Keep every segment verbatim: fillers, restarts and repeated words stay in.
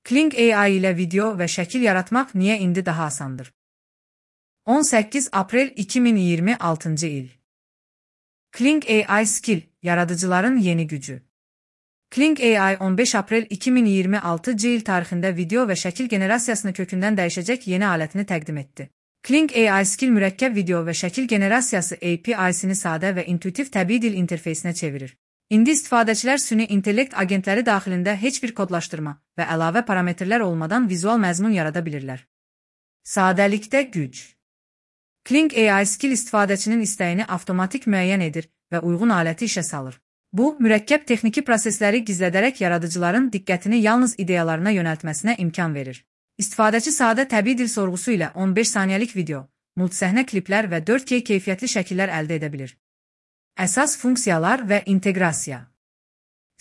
Kling A I ilə video və şəkil yaratmaq niyə indi daha asandır? on səkkiz aprel iki min iyirmi altıncı il. Kling A I Skill, yaradıcıların yeni gücü. Kling A I on beş aprel iki min iyirmi altıncı il tarixində video və şəkil generasiyasını kökündən dəyişəcək yeni alətini təqdim etdi. Kling A I Skill mürəkkəb video və şəkil generasiyası A P I-sini sadə və intuitiv təbii dil interfeysinə çevirir. İndi istifadəçilər süni intellekt agentləri daxilində heç bir kodlaşdırma və əlavə parametrlər olmadan vizual məzmun yarada bilirlər. Sadəlikdə güc. Kling A I Skill istifadəçinin istəyini avtomatik müəyyən edir və uyğun aləti işə salır. Bu, mürəkkəb texniki prosesləri gizlədərək yaradıcıların diqqətini yalnız ideyalarına yönəltməsinə imkan verir. İstifadəçi sadə təbii dil sorğusu ilə on beş saniyəlik video, multisəhnə kliplər və dörd K keyfiyyətli şəkillər əldə edə bilir. Əsas funksiyalar və inteqrasiya.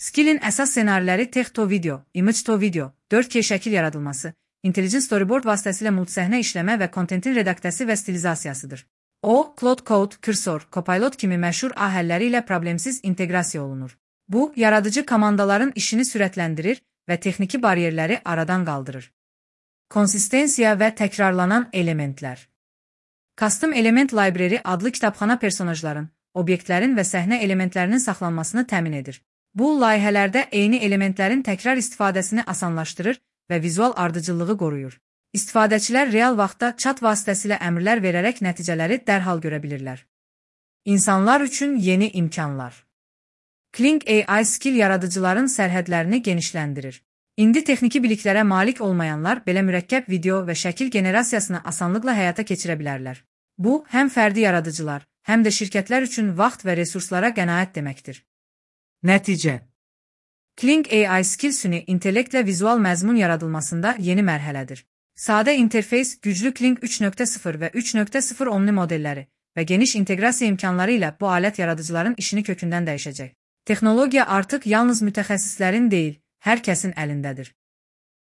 Skillin əsas ssenariləri text-to-video, image-to-video, dörd K şəkil yaradılması, intelligent storyboard vasitəsilə multisəhnə işləmə və kontentin redaktəsi və stilizasiyasıdır. O, Claude Code, Cursor, Copilot kimi məşhur A həlləri ilə problemsiz inteqrasiya olunur. Bu, yaradıcı komandaların işini sürətləndirir və texniki bariyerləri aradan qaldırır. Konsistensiya və təkrarlanan elementlər. Custom Element Library adlı kitabxana personajların, obyektlərin və səhnə elementlərinin saxlanmasını təmin edir. Bu, layihələrdə eyni elementlərin təkrar istifadəsini asanlaşdırır və vizual ardıcıllığı qoruyur. İstifadəçilər real vaxtda chat vasitəsilə əmrlər verərək nəticələri dərhal görə bilirlər. İnsanlar üçün yeni imkanlar. Kling A I Skill yaradıcıların sərhədlərini genişləndirir. İndi texniki biliklərə malik olmayanlar belə mürəkkəb video və şəkil generasiyasını asanlıqla həyata keçirə bilərlər. Bu, həm fərdi yaradıcılar, həm də şirkətlər üçün vaxt və resurslara qənaət deməkdir. Nəticə. Kling A I Skill süni intellektlə vizual məzmun yaradılmasında yeni mərhələdir. Sadə interfeys, güclü Kling üç nöqtə sıfır və üç nöqtə sıfır Omni modelləri və geniş inteqrasiya imkanları ilə bu alət yaradıcıların işini kökündən dəyişəcək. Texnologiya artıq yalnız mütəxəssislərin deyil, hər kəsin əlindədir.